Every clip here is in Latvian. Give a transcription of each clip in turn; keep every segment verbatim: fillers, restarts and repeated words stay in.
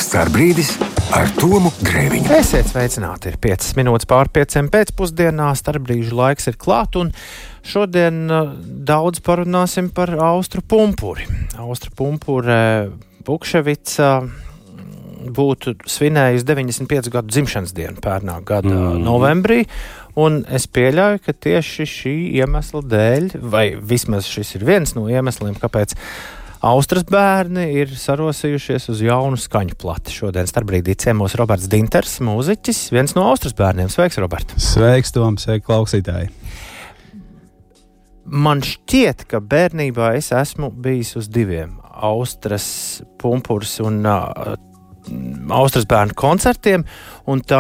Starbrīdis ar Tomu Grēviņu. Esiet sveicināti, ir piecas minūtes pār pieciem pēcpusdienā, starpbrīžu laiks ir klāt, un šodien uh, daudz parunāsim par Austru pumpuri. Austra pumpure Bukševica būtu svinējusi deviņdesmit piecu gadu dzimšanas dienu pērnā gada mm. novembrī, un es pieļauju, ka tieši šī iemesla dēļ, vai vismaz šis ir viens no iemesliem, kāpēc Austras bērni ir sarosījušies uz jaunu skaņu plati. Šodien starpbrīdī ciemos Roberts Dinters, mūziķis, viens no Austras bērniem. Sveiks, Robert! Sveiks, Tom, sveiki, klausītāji! Man šķiet, ka bērnībā es esmu bijis uz diviem Austras pumpurs un uh, Austras bērnu koncertiem, un tā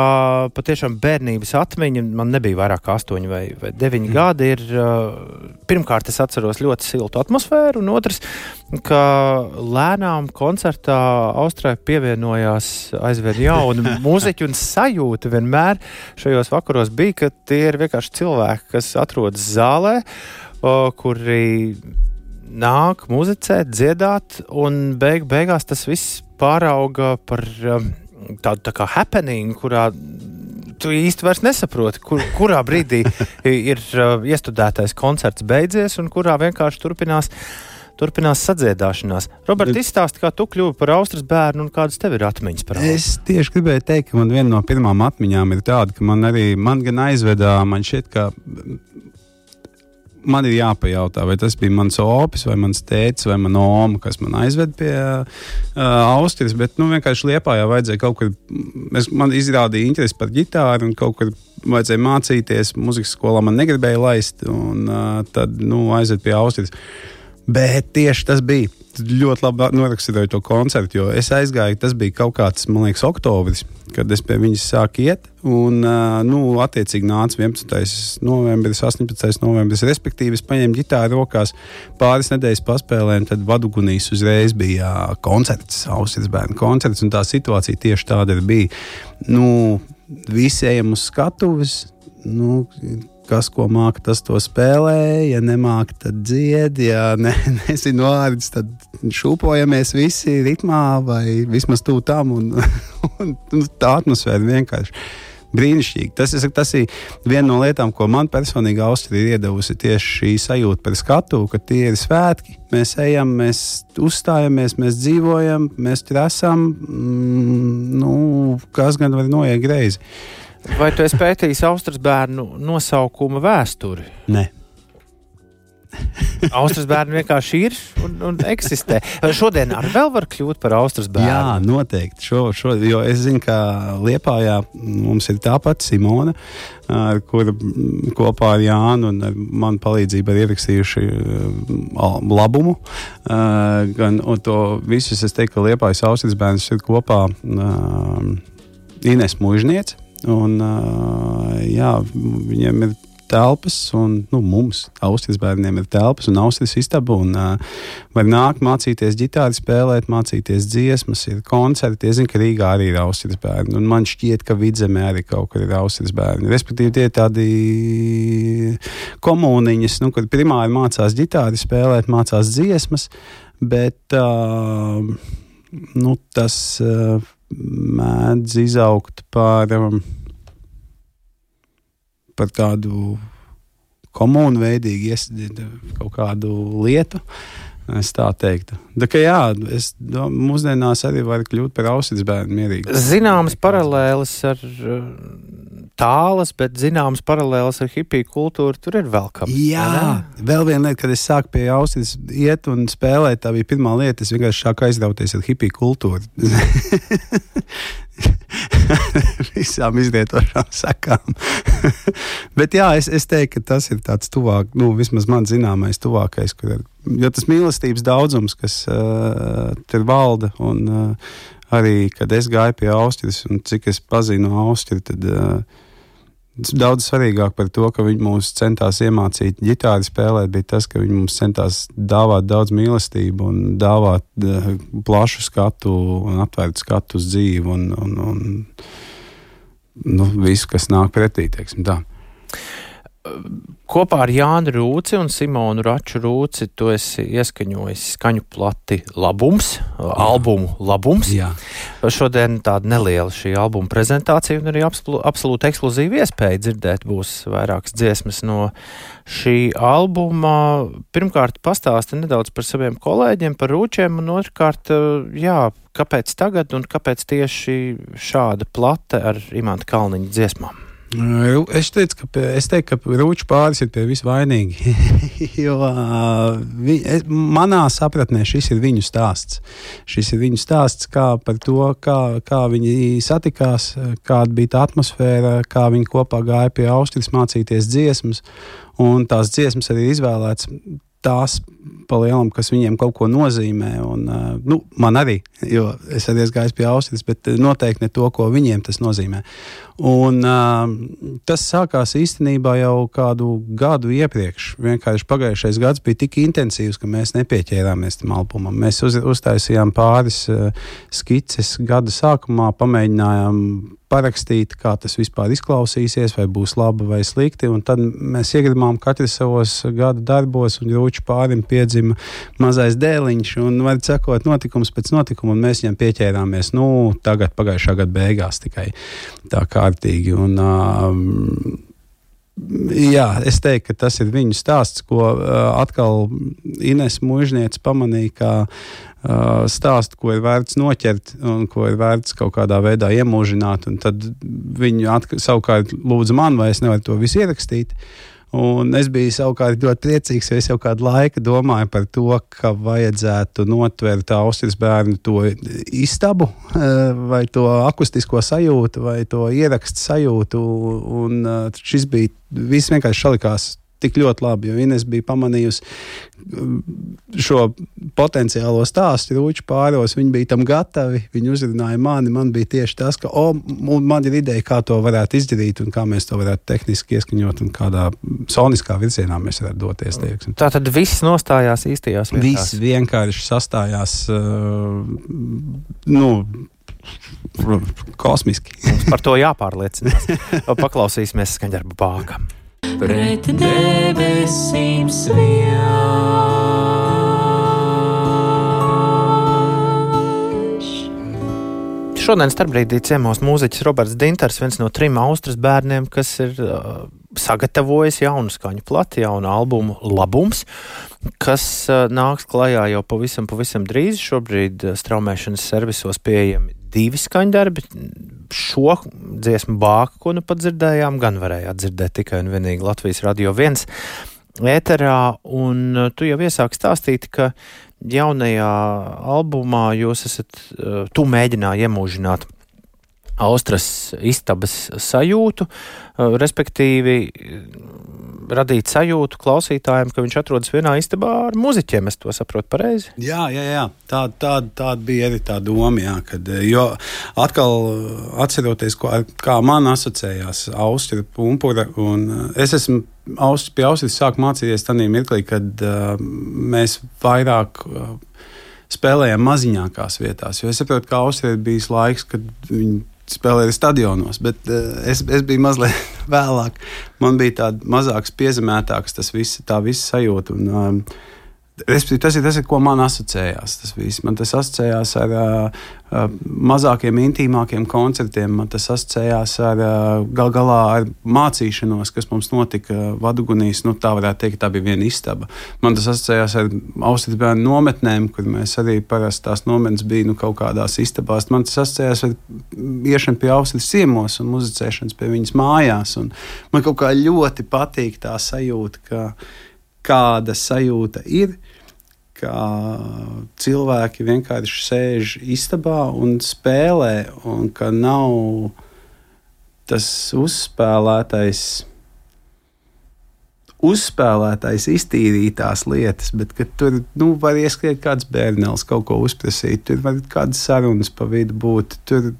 patiešām bērnības atmiņa, man nebija vairāk kā astoņi vai, vai deviņi mm. gadi, ir, uh, pirmkārt es atceros ļoti siltu atmosfēru, un otrs, ka lēnām koncertā Austrai pievienojās aizvien jauni mūziķi, un sajūta vienmēr šajos vakaros bija, ka tie ir vienkārši cilvēki, kas atrodas zālē, uh, kuri nāk muzicēt, dziedāt, un beig, beigās tas viss pārauga par um, tādu tā kā happening, kurā tu īsti vairs nesaproti, kur, kurā brīdī ir uh, iestudētais koncerts beidzies un kurā vienkārši turpinās, turpinās sadziedāšanās. Robert, izstāsti, kā tu kļuvi par Austras bērnu un kādas tev ir atmiņas par Austru? Es tieši gribēju teikt, ka man viena no pirmām atmiņām ir tāda, ka man arī, man gan aizvedā, man šķiet, ka man ir jāpajautā, vai tas bija mans opis, vai mans tētis, vai mana oma, kas man aizved pie uh, Austras, bet nu, vienkārši Liepājā vajadzēja kaut kur, es, man izrādīja interesi par ģitāru un kaut kur vajadzēja mācīties, muzikas skolā man negribēja laist, un uh, tad nu, aizved pie Austras. Bet tieši tas bija, ļoti labi noraksturoju to koncertu, jo es aizgāju, tas bija kaut kāds, man liekas, oktobris, kad es pie viņas sāku iet, un, nu, attiecīgi nāca vienpadsmitais novembris, astoņpadsmitais novembris, respektīvi es paņēmu ģitāru rokās, pāris nedēļas paspēlēm, tad Vadugunīs uzreiz bija koncerts, Austras bērnu koncerts, un tā situācija tieši tāda bija. Nu, visi ejam uz skatuves, nu, kas ko māka, tas to spēlē, ja nemāka, tad dzied, ja ne, nezinu vārdus, tad šūpojamies visi ritmā vai vismaz tū tam, un, un, un tā atmosfēra vienkārši brīnišķīgi. Tas, es, tas ir viena no lietām, ko man personīgi Austra ir iedavusi, tieši šī sajūta par skatu, ka tie ir svētki, mēs ejam, mēs uzstājamies, mēs dzīvojam, mēs tur esam, mm, nu, kas gan var noiet greizi. Vai tu esi pētījis Austras bērnu nosaukuma vēsturi? Nē. Austras bērni vienkārši ir un, un eksistē. Šodien arī vēl var kļūt par Austras bērnu? Jā, noteikti. Šo, šo, jo es zinu, ka Liepājā mums ir tā pati Simona, ar kura kopā ar Jānu un ar manu palīdzību ir ierakstījuši labumu. Gan, un to visus es teiktu, ka Liepājas Austras bērns ir kopā Ines Mužniece. Un, jā, viņiem ir telpas, un nu, mums, Austras bērniem, ir telpas un Austras istaba, un uh, var nākt mācīties ģitāri spēlēt, mācīties dziesmas, ir koncerti. Es zinu, ka Rīgā arī ir Austras bērni, un man šķiet, ka Vidzemē arī kaut kur ir Austras bērni. Respektīvi, tie ir tādi komuniņas, nu, kad primāri mācās ģitāri spēlēt, mācās dziesmas, bet uh, nu, tas uh, mēdz izaugt par um, par tādu komunu veidīgi iesaistīt kaut kādu lietu, es tā teiktu. Tā kā jā, es mūsdienās arī var kļūt par Austras bērnu mierīgi. Zināmas paralēles ar tālas, bet zināmas paralēles ar hipiju kultūru tur ir vēl kam. Jā, vēl viena lieta, kad es sāku pie Austras iet un spēlēt, tā bija pirmā lieta, es vienkārši sāku aizrauties ar hipiju kultūru. Visām izlietošām sakām. Bet jā, es, es teiktu, ka tas ir tāds tuvāk, nu, vismaz man zināmais tuvākais, kur ir, jo tas mīlestības daudzums, kas uh, tur valda, un uh, arī, kad es gāju pie Austras, un cik es pazinu Austru, tad uh, daudz svarīgāk par to, ka viņi mūs centās iemācīt ģitāri spēlēt, bija tas, ka viņi mums centās dāvāt daudz mīlestību un dāvāt uh, plašu skatu un atvērtu skatu uz dzīvi un, un, un nu, visu, kas nāk pretī, teiksim tā. kopā ar Jānu Rūci un Simonu Raču Rūci tu esi ieskaņojis skaņu plati Labums, Jā. albumu Labums. Jā. Šodien tāda neliela šī albuma prezentācija un arī absolūti ekskluzīva iespēja dzirdēt būs vairākas dziesmas no šī albuma. Pirmkārt, pastāsti nedaudz par saviem kolēģiem, par Rūčiem, un otrkārt, jā, kāpēc tagad un kāpēc tieši šāda plate ar Imanta Kalniņa dziesmām? Es teicu, ka, es teiktu, ka Rūču pāris ir pie visvainīgi, jo vi, es, manā sapratnē šis ir viņu stāsts. Šis ir viņu stāsts kā par to, kā, kā viņi satikās, kāda bija tā atmosfēra, kā viņi kopā gāja pie Austrijas mācīties dziesmas, un tās dziesmas arī izvēlēts tās pa lielam, kas viņiem kaut ko nozīmē, un, nu, man arī, jo es arī esmu gājis pie Austrijas, bet noteikti ne to, ko viņiem tas nozīmē. Un tas sākās īstenībā jau kādu gadu iepriekš. Vienkārši pagājušais gads bija tik intensīvs, ka mēs nepieķērāmies tam albumam. Mēs uz, uztaisījām pāris skices gada sākumā, pamēģinājām parakstīt, kā tas vispār izklausīsies, vai būs labi vai slikti, un tad mēs iegribām katru savos gada darbos, un Rūču pārim piedzima mazais dēliņš, un var sakot notikums pēc notikuma, un mēs viņam pieķērāmies, nu, tagad pagājušā gada beigās tikai tā kārtīgi, un um, jā, es teiktu, ka tas ir viņu stāsts, ko uh, atkal Ines Mužniece pamanīja, kā uh, stāstu, ko ir vērts noķert un ko ir vērts kaut kādā veidā iemūžināt, un tad viņi atk- savukārt lūdza man, vai es nevaru to visu ierakstīt. Un es biju savukārt ļoti priecīgs, jo es jau kādu laiku domāju par to, ka vajadzētu notvert Austrijas bērnu to istabu, vai to akustisko sajūtu, vai to ierakstu sajūtu. Un šis bija, viss vienkārši salikās tik ļoti labi, jo Ines bija pamanījusi šo potenciālo stāstu Rūču pāros, viņi bija tam gatavi, viņi uzrunāja mani, man bija tieši tas, ka o, man ir ideja, kā to varētu izdarīt un kā mēs to varētu tehniski ieskaņot un kādā soniskā virzienā mēs varētu doties. Tieksim. Tā tad viss nostājās īstajās vietās? Viss vienkārši sastājās, uh, nu, kosmiski. Mums par to jāpārliecinās. Paklausīsimies skaņdarbu Bākam. Pret debesīm sviež. Šodien starpbrīdī ciemos mūziķis Roberts Dintars, viens no trim Austrijas bērniem, kas ir uh, sagatavojis jaunu skaņu plati, jaunu albumu Labums, kas uh, nāks klajā jau pavisam, pavisam drīz. Šobrīd uh, straumēšanas servisos pieejami divi skaņdarbi. Šo dziesmu Bāku, ko nu pat dzirdējām, gan varējāt dzirdēt tikai un vienīgi Latvijas Radio viens ēterā, un tu jau iesāki stāstīt, ka jaunajā albumā jūs esat, tu mēģināji iemūžināt Austrijas istabas sajūtu, respektīvi radīt sajūtu klausītājiem, ka viņš atrodas vienā istabā ar muziķiem. Es to saprotu pareizi? Jā, jā, jā. Tā, tā, tā bija arī tā doma, jā, kad, jo atkal atceroties, ko, kā man asociējās Austrija pumpura, un es esmu Austri, pie Austrijas sāku mācīties tādā mirklī, kad uh, mēs vairāk uh, spēlējām maziņākās vietās, jo es saprotu, ka Austrija ir bijis laiks, kad viņi spēlēja stadionos, bet uh, es, es biju mazliet vēlāk. Man bija tāda mazāks, piezemētāks tas viss, tā visa sajūta. Un, um, es, tas, ir, tas ir, ko man asociējās. Tas viss. Man tas asociējās ar uh, uh, mazākiem, intīmākiem koncertiem. Man tas asociējās ar uh, gal galā ar mācīšanos, kas mums notika Vadugunīs. Nu, tā varētu teikt, tā bija viena istaba. Man tas asociējās ar Austrijas bērnu nometnēm, kur mēs arī parasti tās nometnes bija nu, kaut kādās istabās. Man tas asociējās ar iešanu pie Austrijas ciemos un muzicēšanas pie viņas mājās. Un man kaut kā ļoti patīk tā sajūta, ka kāda sajūta ir, ka cilvēki vienkārši sēž istabā un spēlē, un ka nav tas uzspēlētais, uzspēlētais iztīrītās lietas, bet ka tur nu, var ieskriet kāds bērnēls, kaut ko uzprasīt, tur var kādas sarunas pa vidu būt, tur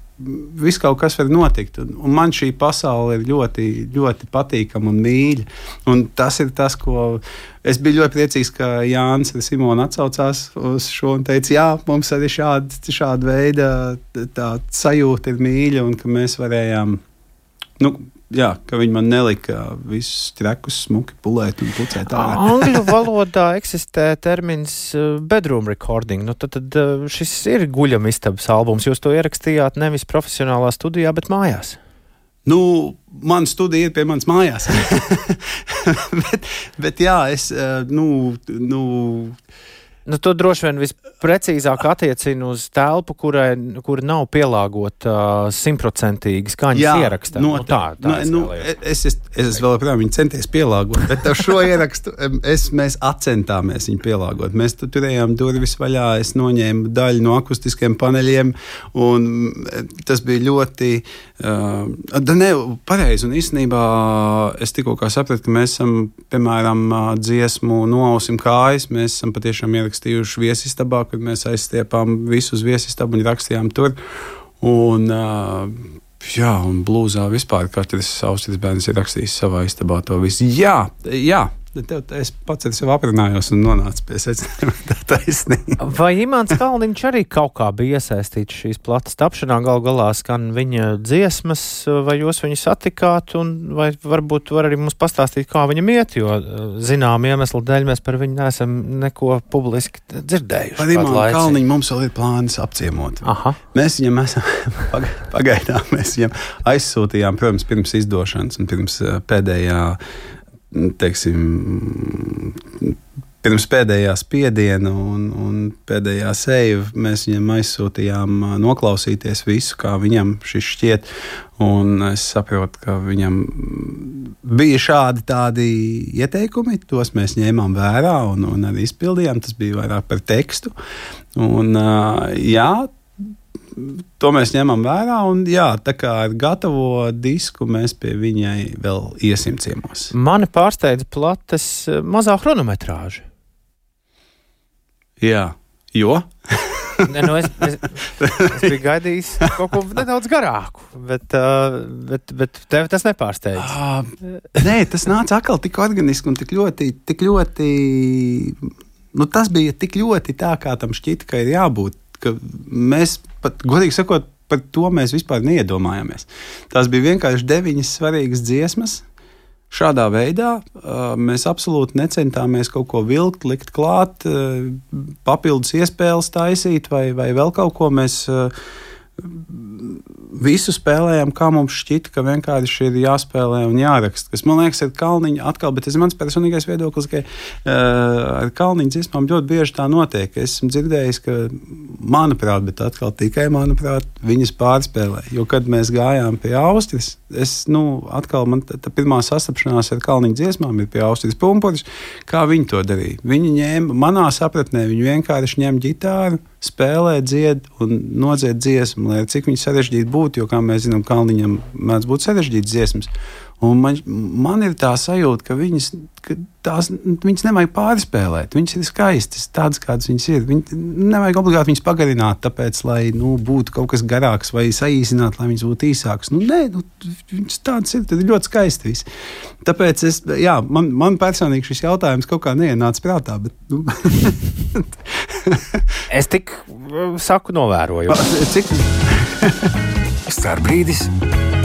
viss kaut kas var notikt. Un, un man šī pasaule ir ļoti, ļoti patīkama un mīļa. Un tas ir tas, ko es biju ļoti priecīgs, ka Jānis un Simona atsaucās uz šo un teica, jā, mums arī šāda, šāda veida tā sajūta ir mīļa un ka mēs varējām nu, jā, ka viņi man nelika visus trekus smuki pulēt un pucēt ārā. Angļu valodā eksistē termins bedroom recording. Nu, tad, tad šis ir guļamistabas albums. Jūs to ierakstījāt nevis profesionālā studijā, bet mājās. Nu, mana studija ir pie manas mājās. bet, bet jā, es, nu, nu, Nu, to droši vien visprecīzāk attiecina uz telpu, kurai, kura nav pielāgota simtprocentīgi skaņas ierakstā. No, nu, tā, tā nu, es, es, es vēl joprojām viņu centies pielāgot, bet ar šo ierakstu es, mēs atcentāmies viņu pielāgot. Mēs tu, turējām durvis vaļā, es noņēmu daļu no akustiskiem paneļiem, un tas bija ļoti... Uh, ne, pareizi, un īstenībā es tikko kā sapratu, ka mēs esam, piemēram, dziesmu Noausim kājas, mēs esam patiešām ierakstījuši viesistabā, kad mēs aizstiepām visu uz viesistabu un rakstījām tur. Un, uh, jā, un blūzā vispār katrs Austrijas bērns ir rakstījis savā istabā to visu. Jā, jā. Tev, es pats ar sevi aprunājos un nonācu pie secinājuma, tā taisnība. Vai Imants Kalniņš arī kaut kā bija iesaistīts šīs plates tapšanā? Gal galā skan viņa dziesmas, vai jūs viņu satikāt, un vai varbūt var arī mums pastāstīt, kā viņam iet, jo zinām iemeslu dēļ mēs par viņu neesam neko publiski dzirdējuši. Par Imantu Kalniņu mums vēl ir plāns apciemot. Aha. Mēs viņam esam, pagaidām mēs viņam aizsūtījām, protams, pirms izdošanas un pirms pēdējā teiksim, pirms pēdējā spiediena un, un pēdējā seiva mēs viņam aizsūtījām noklausīties visu, kā viņam šis šķiet, un es saprotu, ka viņam bija šādi tādi ieteikumi, tos mēs ņēmām vērā un, un arī izpildījām, tas bija vairāk par tekstu, un jā, to mēs ņemam vērā, un jā, tā kā ar gatavo disku mēs pie viņai vēl iesim ciemos. Mani pārsteidz plates mazā chronometrāža. Jā, jo? ne, nu es, es, es biju gaidījis kaut ko nedaudz garāku, bet, uh, bet, bet tev tas nepārsteidz. Uh, nē, tas nāca atkal tik organiski un tik ļoti, tik ļoti, nu tas bija tik ļoti tā, kā tam šķita, ka ir jābūt. Ka mēs pat, godīgi sakot, par to mēs vispār neiedomājāmies. Tās bija vienkārši deviņas svarīgas dziesmas. Šādā veidā mēs absolūti necentāmies kaut ko vilkt, likt klāt, papildus iespēles taisīt vai, vai vēl kaut ko. Mēs visu spēlējām, kā mums šķita, ka vienkārši ir jāspēlē un jāraksta. Kas man liekas, ir Kalniņa atkal, bet tas ir mans personīgais viedoklis, ka uh, ar Kalniņa dziesmām ļoti bieži tā notiek. Es esmu dzirdējis, ka manuprāt, bet atkal tikai manuprāt, viņas pārspēlē. Jo, kad mēs gājām pie Austrijas, es, nu, atkal man tā, tā pirmā sastapšanās ar Kalniņa dziesmām ir pie Austrijas Pumpuris, kā viņi to darīja. Viņi ņēma, manā sapratnē, viņi vienkārši ņem ģitāru, spēlē, dzied un nodzied dziesmu, lai cik viņi sarežģīti būtu, jo, kā mēs zinām, Kalniņam mēdz būt sarežģītas dziesmas. Un man, man ir tā sajūta, ka viņas, ka tās, viņas nevajag pārspēlēt. Viņas ir skaistas, tādas, kādas viņas ir. Viņi nevajag obligāti viņas pagarināt, tāpēc, lai nu, būtu kaut kas garāks vai saīsināt, lai viņas būtu īsākas. Nu, nē, nu, viņas tādas ir, tad ir ļoti skaisti viss. Tāpēc es, jā, man, man personīgi šis jautājums kaut kā neienāca prātā, bet, nu... Es tik saku novēroju. Cik? Starbrīdis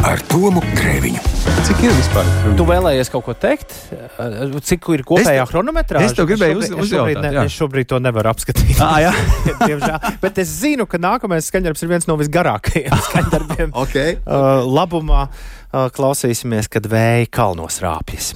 ar Tomu Grēviņu. Cik ir vispār? Tu vēlējies kaut ko teikt? Cik ir kopējā chronometrāža? Es tev gribēju uz, uzjautāt. Es, ne, es šobrīd to nevaru apskatīt. Ah, jā. Diemžēl. Bet es zinu, ka nākamais skaņdarbs ir viens no visgarākajiem skaņdarbiem. Okay. Uh, labumā uh, klausīsimies, kad vēja kalnos rāpjas.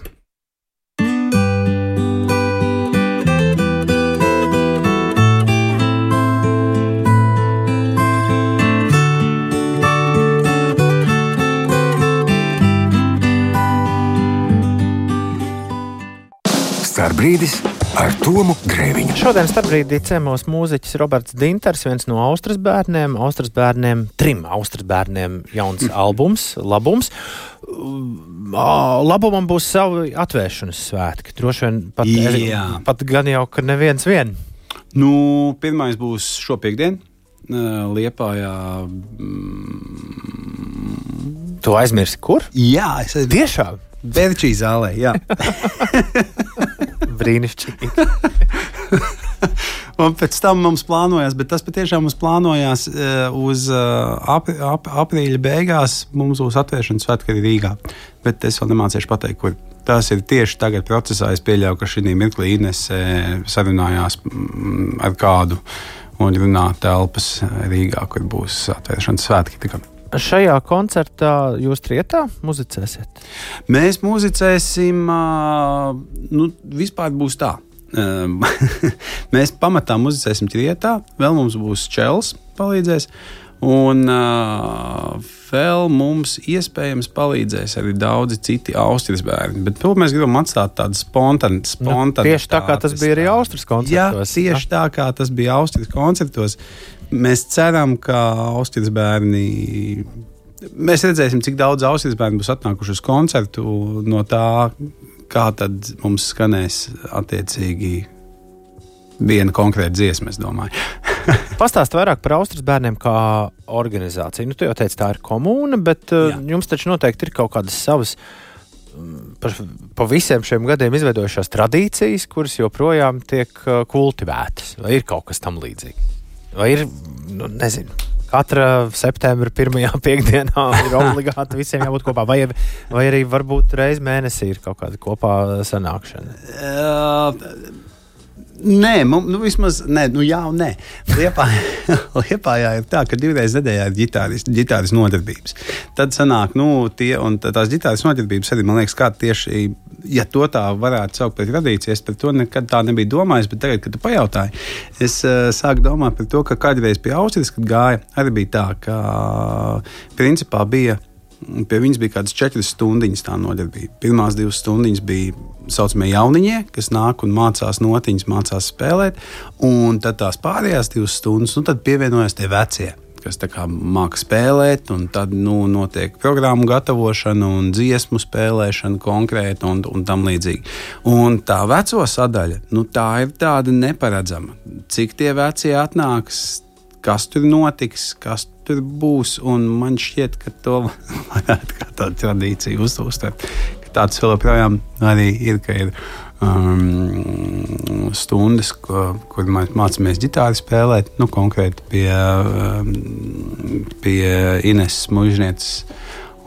Starbrīdis ar Tomu Grēviņu. Šodien starpbrīdī ciemos mūziķis Roberts Dinters, viens no Austrijas bērniem, Austrijas bērniem, trim Austrijas bērniem jauns albums, labums. Labumam būs savi atvēršanas svētki. Droši vien pat, Jā. pat gan jau, ka neviens vien. Nu, pirmais būs šopiekdien, Liepājā. Tu aizmirsi, kur? Jā, es aizmirsu. Tiešām? Berčī zālē, jā. Brīnišķīgi. Un pēc tam mums plānojās, bet tas patiešām mums plānojās uz ap, ap, aprīļa beigās. Mums būs atvēršanas svētki arī Rīgā. Bet es vēl nemācīšu pateikt, kur. Tas ir tieši tagad procesā. Es pieļauju, ka šī mirklī Inese sarunājās ar kādu un runā telpas Rīgā, kur būs atvēršanas svētki. Tika. Šajā koncertā jūs trietā muzicēsiet? Mēs muzicēsim, nu, vispār būs tā. Mēs pamatā muzicēsim trietā, vēl mums būs čels palīdzēs, un uh, vēl mums iespējams palīdzēs arī daudzi citi Austrijas bērni. Bet to mēs gribam atstāt tādu spontanu. Nu, tieši tā kā tas bija arī Austrijas koncertos. Jā, tieši tā kā tas bija Austrijas koncertos. Mēs ceram, ka Austrijas bērni. Mēs redzēsim, cik daudz Austrijas bērni būs atnākuši uz koncertu no tā, kā tad mums skanēs attiecīgi viena konkrēta dziesma, es domāju. Pastāst vairāk par Austrijas bērniem kā organizāciju. Nu, tu jau teici, tā ir komūna, bet Jā. Jums taču noteikti ir kaut kādas savas par, pa visiem šiem gadiem izveidojušās tradīcijas, kuras joprojām tiek kultivētas. Vai ir kaut kas tam līdzīgs? Vai ir, nu, nezinu, katra septembra pirmajā piekdienā ir obligāti visiem jābūt kopā, vai, vai arī varbūt reiz mēnesī ir kaut kāda kopā sanākšana? Uh, nē, mums, nu vismaz, nē, nu jā un nē. Liepājā, Liepājā ir tā, ka divreiz nedēļā ir ģitāris, ģitāris nodarbības. Tad sanāk, nu, tie, un tās ģitāris nodarbības arī, man liekas, kā tieši, ja to tā varētu saukt par tradīciju, es par to nekad tā nebija domājis, bet tagad, kad tu pajautāji, es uh, sāku domāt par to, ka kādreiz pie Austrijas, kad gāja, arī bija tā, ka principā bija, pie viņas bija kādas četras stundiņas tā nodarbība. Pirmās divas stundiņas bija saucamie jauniņie, kas nāk un mācās notiņas, mācās spēlēt, un tad tās pārējās divas stundas, nu tad pievienojas tie vecie, kas tā kā māka spēlēt, un tad, nu, notiek programmu gatavošana un dziesmu spēlēšana konkrēti un, un tam līdzīgi. Un tā veco sadaļa, nu, tā ir tāda neparedzama. Cik tie vecie atnāks, kas tur notiks, kas tur būs, un man šķiet, ka to varētu kā tādu tradīciju uztūstēt. Tāds vēl joprojām arī ir, ka ir um, stundas, ko, kur mēs mācāmies ģitāri spēlēt, nu, konkrēti pie, um, pie Ineses mužnieces,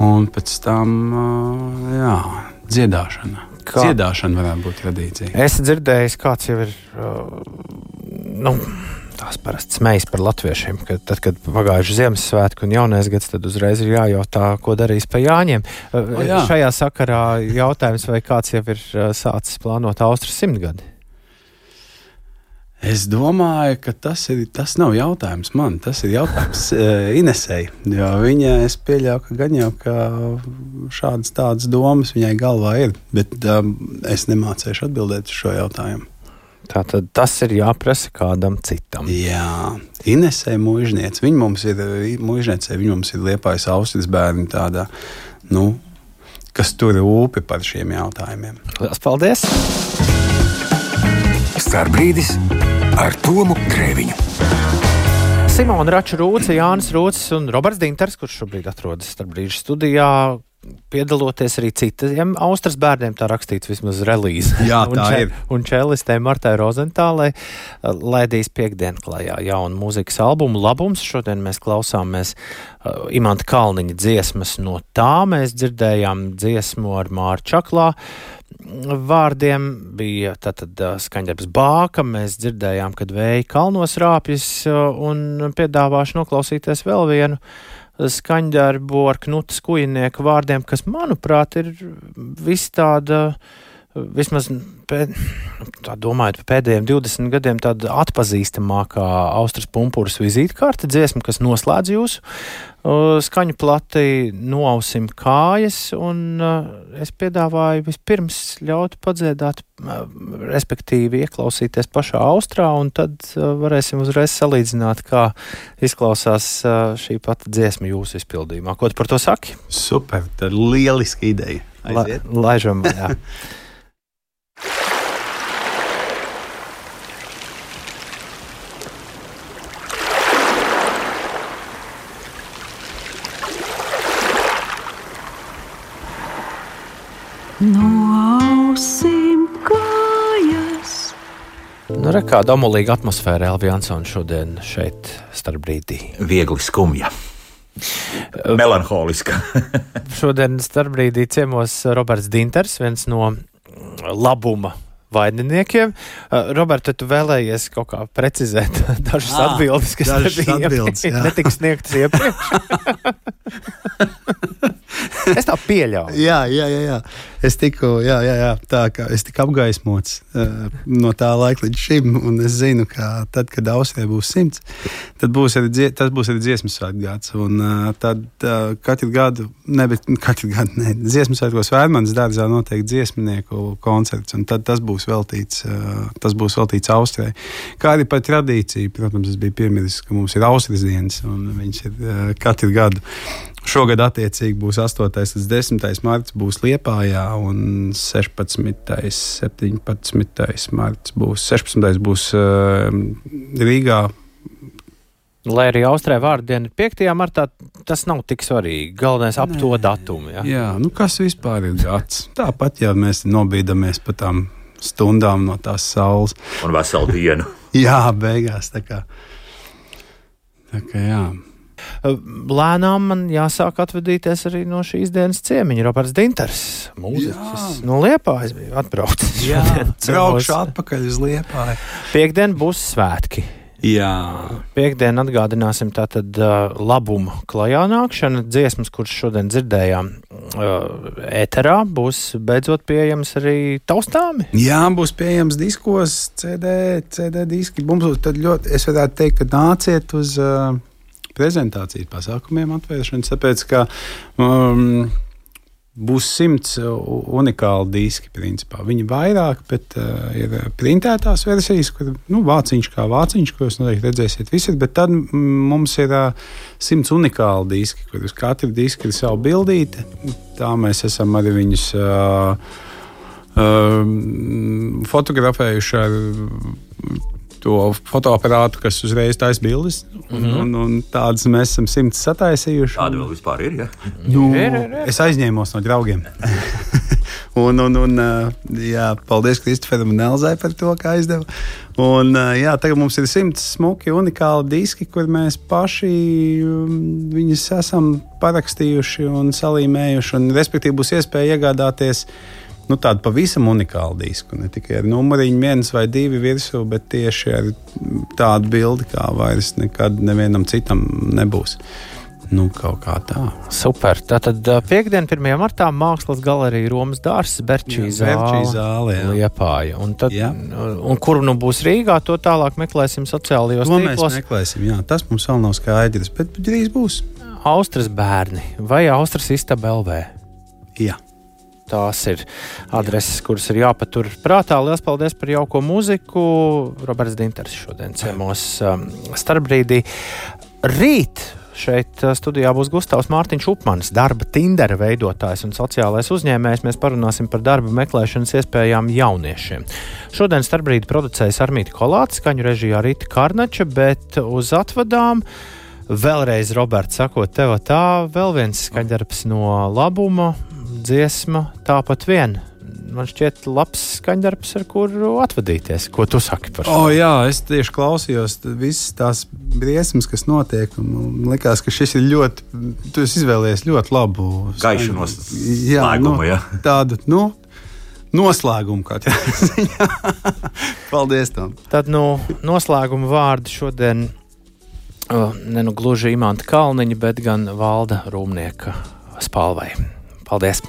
un pēc tam, uh, jā, dziedāšana. Kā? Dziedāšana varētu būt tradīcija. Es dzirdēju, kāds jau ir, uh, nu, tās parasti smejas par latviešiem, ka tad, kad pagājuši Ziemassvētku un jaunais gads, tad uzreiz ir jājautā, ko darīs pa Jāņiem. O, jā. Šajā sakarā jautājums, vai kāds jau ir sācis plānot Austrijas simtgadi? Es domāju, ka tas, ir, tas nav jautājums man, tas ir jautājums Inesei, jo viņa, es pieļauju, ka gan jau, ka šādas tādas domas viņai galvā ir, bet um, es nemācēšu atbildēt uz šo jautājumu. Tātad tas ir jāprasa kādam citam. Jā, Inesei mužniece. Viņa mums ir, mužniecei, viņa mums ir Liepājas Austrijas bērni tādā, nu, kas tur rūpi par šiem jautājumiem. Lielas paldies! Starbrīdis ar Tomu Grēviņu. Simona Rača Rūce, Jānis Rūcis un Roberts Dinters, kurš šobrīd atrodas Starbrīžu studijā, piedaloties arī citiem Austrijas bērniem, tā rakstīts vismaz relīze. Jā, tā un, ir. Un čelistē Martai Rozentālai laidīs piekdien klajā jaunu mūzikas albumu Labums. Šodien mēs klausāmies uh, Imanta Kalniņa dziesmas no tā. Mēs dzirdējām dziesmu ar Māru Čaklā. Vārdiem bija tātad uh, skaņdarbs Bāka. Mēs dzirdējām, kad vēja kalnos rāpjas uh, un piedāvāšu noklausīties vēl vienu skaņdarbu ar Knuta Skujinieka vārdiem, kas, manuprāt, ir viss tāda, vismaz pēd, tā domājot par pēdējiem divdesmit gadiem, tāda atpazīstamākā Austrijas pumpūras vizītkarte dziesma, kas noslēdz jūsu uh, skaņu plati Noausim kājas, un uh, es piedāvāju vispirms ļaut padziedāt, uh, respektīvi ieklausīties pašā Austrā, un tad uh, varēsim uzreiz salīdzināt, kā izklausās uh, šī pati dziesma jūsu izpildījumā. Ko tu par to saki? Super, tā ir lieliska ideja. Aiziet. La, laižam, jā. Noausim kājas. Nu, re, kāda omulīga atmosfēra Elvi Jansona šodien šeit starpbrīdī. Viegli skumja. Melanholiska. Šodien starpbrīdī ciemos Roberts Dinters, viens no labuma vaininiekiem. Roberta, tu vēlējies kaut kā precizēt dažas à, atbildes, kas nebija netika sniegtas iepriekš? Es tā pieļauju. Jā, jā, jā, jā. Es tiku, jā, jā, jā, tā kā es tiku apgaismots uh, no tā laika līdz šim, un es zinu, ka tad, kad Austrijai būs simts, tad būs arī, dzie, tas būs arī dziesmu svētku gads, un uh, tad uh, katru gadu, ne, bet katru gadu, ne, dziesmu svētkos Vērmanas dārzā notiek dziesmnieku koncerts, un tad tas būs veltīts, uh, tas būs veltīts Austrijai. Kā arī par tradīciju, protams, es biju piemiris, ka mums ir Austrijas dienas, un viņš ir uh, katru gadu. Šogad attiecīgi būs astotais līdz desmitais marts būs Liepājā, un sešpadsmitais, septiņpadsmitais marts būs, sešpadsmitais būs uh, Rīgā. Lai arī Austrijai vārdu diena ir piektajā martā, tas nav tik svarīgi. Galvenais ap Nē. To datumu. Ja? Jā, nu kas vispār ir gads? Tāpat, ja mēs nobīdamies pa tām stundām no tās saules. Un veselu dienu. Jā, beigās, tā kā. Tā kā jā. Lēnām man jāsāk atvadīties arī no šīs dienas ciemiņa. Roberts Dinters, mūziķis no Liepājas bija atbraucis. Jā, braukšu atpakaļ uz Liepāju. Piektdien būs svētki. Jā. Piektdien atgādināsim tātad uh, labumu klajā nākšana. Dziesmas, kuras šodien dzirdējām uh, ēterā, būs beidzot pieejams arī taustāmi. Jā, būs pieejams diskos, C D, C D diski. Mums tad ļoti, es varētu teikt, ka nāciet uz uh, prezentācijas pasākumiem atvēršanas, tāpēc, ka um, būs simts unikāli diski, principā. Viņi vairāk, bet uh, ir printētās versijas, kur, nu, vāciņš kā vāciņš, ko jūs noteikti redzēsiet visur, bet tad mums ir uh, simts unikāli diski, kur uz katru disku ir savu bildīti. Tā mēs esam arī viņus uh, uh, fotografējuši ar to fotoaparātu, kas uzreiz taisa bildes, un, mm-hmm. un, un tādas mēs esam simts sataisījuši. Tāda vēl vispār ir, ja? Nu, ir, ir, ir. Es aizņēmos no draugiem. un, un, un, jā, paldies Kristoferam un Elzai par to, kā aizdeva. Un, jā, tagad mums ir simts smuki, unikāli diski, kur mēs paši viņus esam parakstījuši un salīmējuši, un respektīvi būs iespēja iegādāties nu, tādu pavisam unikālu disku, ne tikai ar numuriņu viens vai divi virsū, bet tieši ar tādu bildi, kā vairs nekad nevienam citam nebūs. Nu, kaut kā tā. Super. Tātad piekdien, pirmajā martā Mākslas galerija Romas dārzs, Berčī zāle, zāle Liepāja. Un, tad, un kur nu būs Rīgā, to tālāk meklēsim sociālajos to tīklos. To mēs meklēsim, jā. Tas mums vēl nav skaidrs, bet drīz būs. Austras bērni vai Austras istaba L V? Jā. Tās ir adreses, kuras ir jāpatur prātā. Lielas paldies par jauko mūziku. Roberts Dinters šodien ciemos um, starpbrīdī. Rīt šeit studijā būs Gustavs Mārtiņš Upmanis, darba Tindera veidotājs un sociālais uzņēmējs. Mēs parunāsim par darba meklēšanas iespējām jauniešiem. Šodien starpbrīdi producējas Armīti Kolāte, skaņu režijā Rita Karnača, bet uz atvadām vēlreiz, Roberts, sakot tev tā, vēl viens skaņdarbs no labuma. Dziesma tāpat vien. Man šķiet labs skaņdarbs, ar kuru atvadīties. Ko tu saki par šo? O, jā, es tieši klausījos visas tās briesmas, kas notiek, un man likās, ka šis ir ļoti, tu esi izvēlējies ļoti labu gaišu noslēgumu, nu, jā. Tādu, nu, noslēgumu kaut kādā. Paldies tam. Tad, nu, noslēguma vārdi šodien uh, ne nu gluži Imanta Kalniņa, bet gan Valda Rūmnieka Spalvai. Paldies!